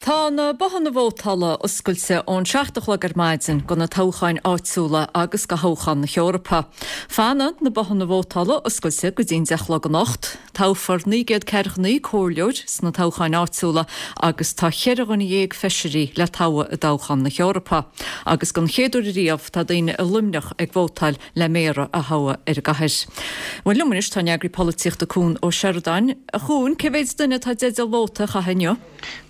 Tá na bothanna vótála oscailte ón 7 a chlog ar maidin do na toghcháin áitiúla agus do thoghchán na hEorpa. Fanfaidh na bothanna vótála oscailte go dtí'n 10 a chlog anocht. Toghfar 949 comhairleoir sna toghcháin áitiúla agus tá cheithre dhuine dhéag feisirí le toghadh i dtoghchán na hEorpa. Agus don chéad uair ariamh tá daoine i Luimneach ag vótáil le méara a thoghadh ar an gcathair. Bhuel liom anois tá an eagraí polaitíochta Cuan Ó Seireadáin. A Chuain, cé mhéid duine atá i dteideal vóta a chaitheamh inniu?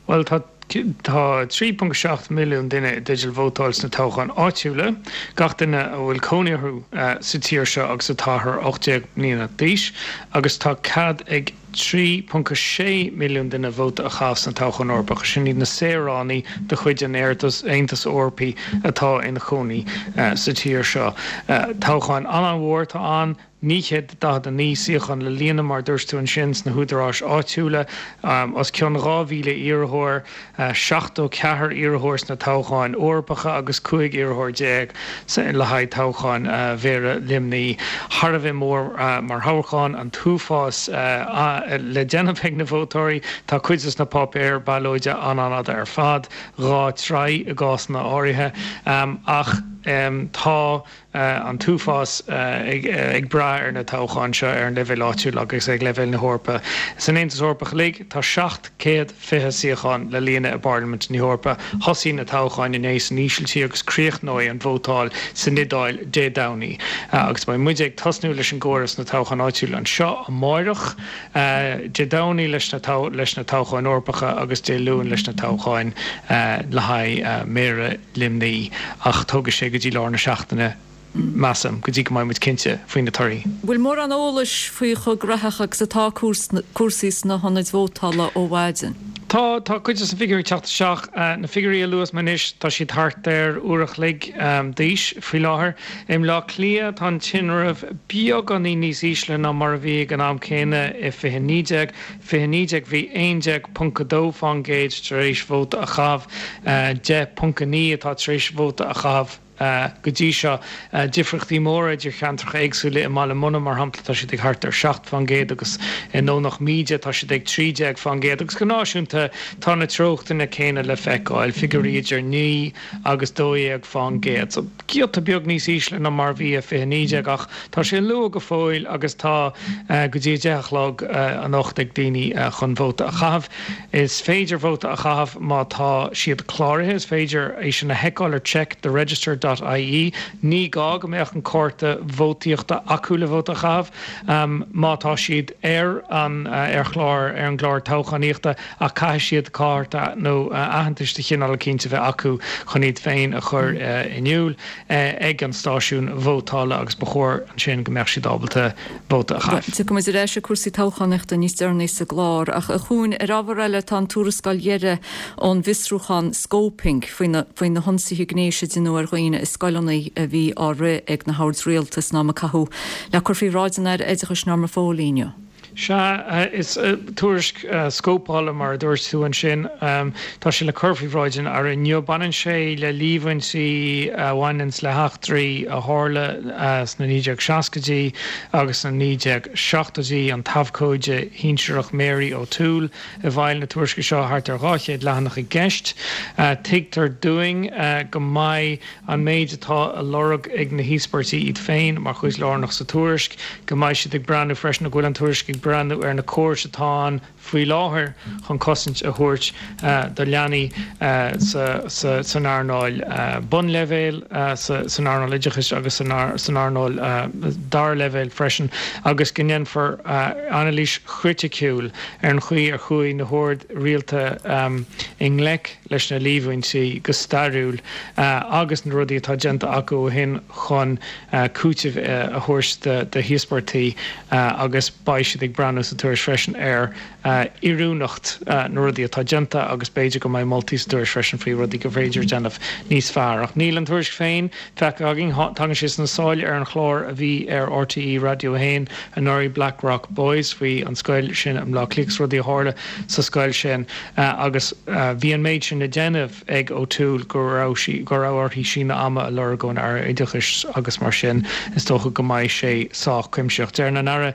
Bhuel tá tá 3.7 milliún duine i dteideal vótáil sna toghcháin áitiúla, gach duine a bhfuil cónaí orthu sa tír seo agus atá thar 18 mbliana d'aois, agus tá cead ag 3.6 milliún duine vóta a chaitheamh sna toghcháin Eorpacha, sin iad na saoránaigh de chuid an Aontais Eorpaigh atá ina chónaí sa tír seo. Toghcháin an-mhór atá ann, 949 suíochán le líonadh, mar a dúirt tú ansin, sna húdaráis áitiúla, os cionn 2,000 iarrthóir. 74 iarrthóir sna toghcháin Eorpacha agus 15 iarrthóir le haghaidh toghchán Mhéara Luimnigh. Thar a bheith mór mar thoghchán, an t-uafás le déanamh ag na vótóirí. Tá cuid de na páipéir ballóide an-an-fhada ar fad, dhá troigh i gcásanna áirithe, ach tá an t-uafás ag brath ar na toghcháin seo ar an leibhéal áitiúil agus ag leibhéal na hEorpa. San Aontas Eorpach uilig, tá 720 suíochán le líonadh i bParlaimint na hEorpa. Thosaigh na toghcháin inné san Ísiltír agus críochnóidh an vótáil san Iodáil Dé Domhnaigh. Agus beidh muide ag tosnú leis an gcomhaireamh sna toghcháin áitiúla anseo amáireach, Dé Domhnaigh leis na toghcháin Eorpacha agus Dé Luain leis na toghcháin le haghaidh Méara Luimnigh, ach tógfaidh sé go dtí lár na seachtaine, measaim, go dtí go mbeidh muid cinnte faoi na torthaí. Bhfuil mórán eolais faoi chomh gnaitheach agus atá cúrsaí sna hionaid vótála ó mhaidin? Tá, tá cuid de na figiúirí ag teacht isteach. Na figiúirí a luas mé anois, tá siad thart ar uair a chloig d'aois faoi láthair. I mBleá Cliath, tá an tinreamh beagáinín níos ísle ná mar a bhí ag an am céanna i 2019. 2019 bhí 11.2% tar éis vóta a chaitheamh, 10.9 atá tar éis vóta a chaitheamh go dtí seo. Difríochtaí móra idir cheantracha éagsúla, i mBaile Munna, mar shampla, tá siad ag thart ar 7% agus i nDomhnach Míde tá siad ag 13% agus go náisiúnta tá na treochtanna céanna le feiceáil, figiúirí idir 9 agus 12%. So giota beag níos ísle ná mar a bhí i 2019 ach tá sé luath go fóill agus tá go dtí a 10 a chlog anocht ag daoine chun vóta a chaitheamh. Is féidir vóta a chaitheamh má tá siad cláraithe, is féidir é sin a sheiceáil ar checktheregister dot ie. Ní gá go mbeadh an cárta vótaíochta acu le vóta a chaitheamh má tá siad ar an ar chlár ar an gclár toghchánaíochta. ach caithfidh siad cárta nó aitheantais de chineál eicínt a bheith acu chun iad féin a chur in iúl ag an stáisiún vótála agus ba chóir ansin go mbeadh siad ábalta vóta a chaitheamh. Tiocfaidh muid ar ais ar cúrsaí toghchánaíochta níos deireanaí sa gclár ach a Chuain, ar ábhar eile tá an tuarascáil dheiridh ón bhfiosrúchán Scoping faoi na faoi na hionsaithe gnéis a deineadh ar dhaoine i scoileanna a bhí á rith ag na hoird rialtais san am a caitheadh le cur faoi bhráid an Aire Oideachais Norma Foley inniu. Sea, is tuairisc scópála, mar a dúirt tú ansin. Tá sé le cur faoi bhráid an Aire inniu. Baineann sé le líomhaintí a bhaineanns le heachtraí a tharla sna 1960idí agus sna 1970idí. An t-abhcóide shinsearach Mary O'Toole i bhfeighil na tuairisce seo, thart ar 200 leathanach i gceist. Tuigtear dúinn go mbeidh an méid atá á lorg ag na híospartaigh iad féin mar chuid lárnach sa tuairisc, go mbeidh siad ag breathnú freisin, nó go bhfuil an tuairisc ag breathnú ar na córais atá ann faoi láthair chun cosaint a thabhairt do leanaí san earnáil bunleibhéil, san earnáil oideachais agus san earnáil dara leibhéal freisin, agus go ndéanfar anailís chriticiúil ar an chaoi ar chuaigh na hoird rialta i ngleic leis na líomhaintí go stairiúil agus na rudaí atá déanta acu ó shin chun cúiteamh a thabhairt do híospartaigh agus beidh siad ag breathnú sa tuairisc freisin ar oiriúnacht na rudaí atá déanta agus b'fhéidir go mbeidh moltaí sa tuairisc freisin faoi rudaí gur féidir a dhéanamh níos fearr. Ach níl an tuairisc féin feicthe againn. Tagann sé sna sáile ar an chlár a bhí ar RTÉ Raidió 1 anuraidh, Blackrock Boys, faoi an scoil sin i mBleá Cliath agus rudaí a tharla sa scoil sin agus bhí an méid sin le déanamh ag O'Toole go raibh sí, go raibh uirthi síneadh ama a lorg ón Aire Oideachais agus mar sin is dócha go mbeidh sé sách cuimsitheach. Deireann an Aire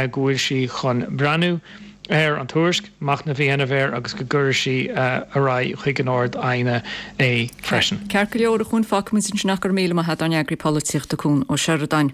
go bhfuil sí chun breathnú. Ar an tuairisc, machnamh a dhéanamh air agus go gcuirfidh sí ar aghaidh chuig an Ard-Aighne é freisin. Ceart go leor, a Chuain, fágfaimid ansin é. Go raibh míle maith agat, ár n-eagraí polaitíochta Cuan Ó Seireadáin.